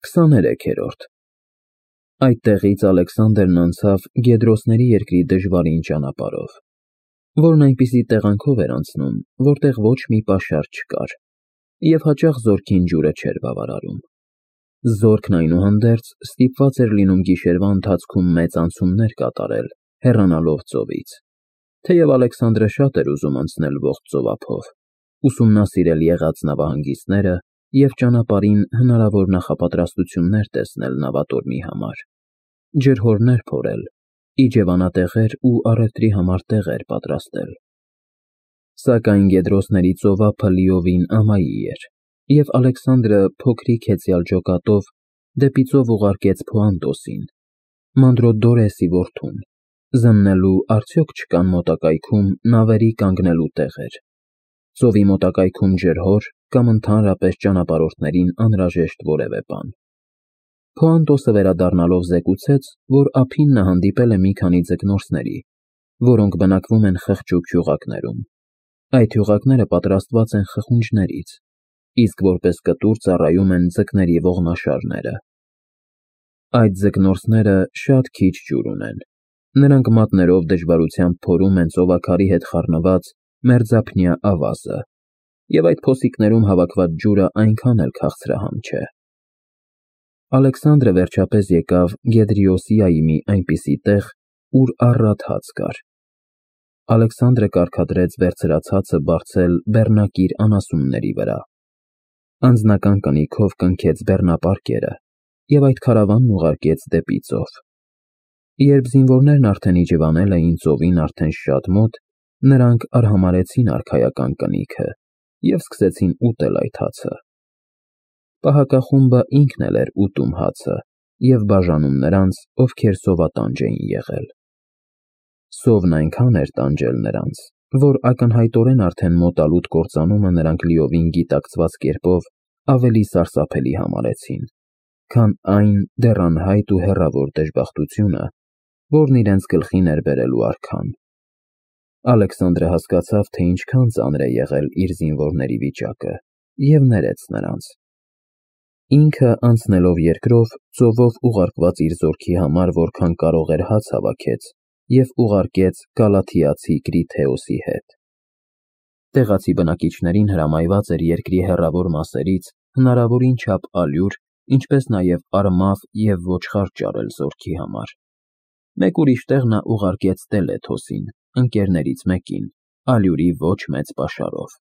23-րդ Այդտեղից Ալեքսանդրն անցավ Գեդրոսների երկրի դժվարին ճանապարհով, որն այնպիսի տեղանքով էր անցնում, որտեղ ոչ մի պաշար չկար, և հաճախ զորքին ջուրը չէր բավարարում։ Զորքն այնուհանդերձ ստիպված էր լինում գիշերվա ընթացքում մեծ անցումներ կատարել, հեռանալով ծովից, թեև Ալեքսանդրը շատ էր ուզում անցնել ողջ ծովափով, ուսումնասիրել եղած նավահանգիստները և ճանապարհին հնարավոր նախապատրաստություններ տեսնել նավատորմի համար, ջրհորներ փորել, իջևանատեղեր ու առևտրի համար տեղեր պատրաստել։ Սակայն Գեդրոսների ծովափը լիովին ամայի էր, և Ալեքսանդրը փոքրիկ հեծյալ ջոկատով դեպի ծով ուղարկեց Փոանտոսին, Մանդրոդորեսի որդուն, զննելու արդյոք չկան մոտակայքում նավերի կանգնելու տեղեր, ծովի մոտակայքում ջրհոր կամ ընդհանրապես ճանապարհորդներին անհրաժեշտ որևէ բան։ Փոանտոսը վերադառնալով զեկուցեց, որ ափին նա հանդիպել է մի քանի ձկնորսների, որոնք բնակվում են խղճուկ հյուղակներում։ Այդ հյուղակները պատրաստված են խխունջներից, իսկ որպես կտուր ծառայում են ձկների ողնաշարները։ Այդ ձկնորսները շատ քիչ ջուր ունեն, նրանք մատներով դժվարությամբ փորում են ծովաքարի հետ խառնված մերձափնյա ավազը, և այդ փոսիկներում հավաքված ջուրը այնքան էլ քաղցրահամ չէ։ Ալեքսանդրը վերջապես եկավ Գեդրիոսիայի մի այնպիսի տեղ, ուր առատ հաց կար։ Ալեքսանդրը կարգադրեց վերցրած հացը բարձել բեռնակիր անասունների վրա, անձնական կնիքով կնքեց բեռնապարկերը և այդ քարավանն ուղարկեց դեպի ծով։ Երբ զինվորներն արդեն իջևանել էին ծովին արդեն շատ մոտ, նրանք արհամարհեցին արքայական կնիքը և սկսեցին ուտել այդ հացը։ Պահակախումբը ինքն էլ էր ուտում հացը և բաժանում նրանց, ովքեր սովատանջ էին եղել։ Սովն այնքան էր տանջել նրանց, որ ակնհայտորեն արդեն մոտալուտ կործանումը նրանք լիովին գիտակցված կերպով ավելի սարսափելի համարեցին, քան այն դեռ անհայտ ու հեռավոր դժբախտությունը, որն իրենց գլխին էր բերելու արքան։ Ալեքսանդրը հասկացավ, թե ինչքան ծանր է եղել իր զինվորների վիճակը, և ներեց նրանց։ Ինքը անցնելով երկրով, ծովով ուղարկված իր զորքի համար որքան կարող էր հաց հավաքեց և ուղարկեց Գալաթիացի Կրիթեոսի հետ։ Տեղացի բնակիչներին հրամայված էր երկրի հեռավոր մասերից հնարավորին չափ ալյուր, ինչպես նաև արմավ և ոչխար ճարել զորքի համար։ Մեկ ուրիշ տեղ նա ուղարկեց Տելեթոսին, ընկերներից մեկին, ալյուրի ոչ մեծ պաշարով։